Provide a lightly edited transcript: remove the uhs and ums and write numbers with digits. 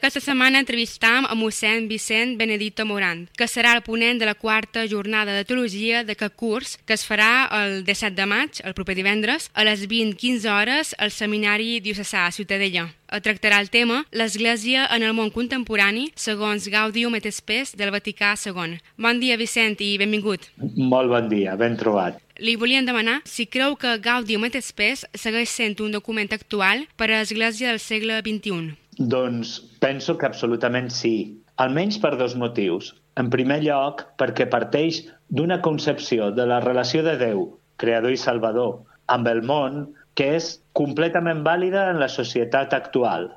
Aquesta setmana entrevistam a mossèn Vicent Benedito Morant, que serà el ponent de la 4a jornada de teologia d'aquest curs, que es farà el 17 de maig, el proper divendres, a les 20:15 hores al Seminari Diocesà a Ciutadella. Tractarà el tema l'Església en el món contemporani segons Gaudium et Spes del Vaticà II. Bon dia, Vicent, i benvingut. Molt bon dia, ben trobat. Li volíem demanar si creu que Gaudium et Spes segueix sent un document actual per a l'Església del segle XXI. Doncs penso que absolutament sí, almenys per dos motius. En primer lloc, perquè parteix d'una concepció de la relació de Déu, creador i salvador, amb el món, que és completament vàlida en la societat actual.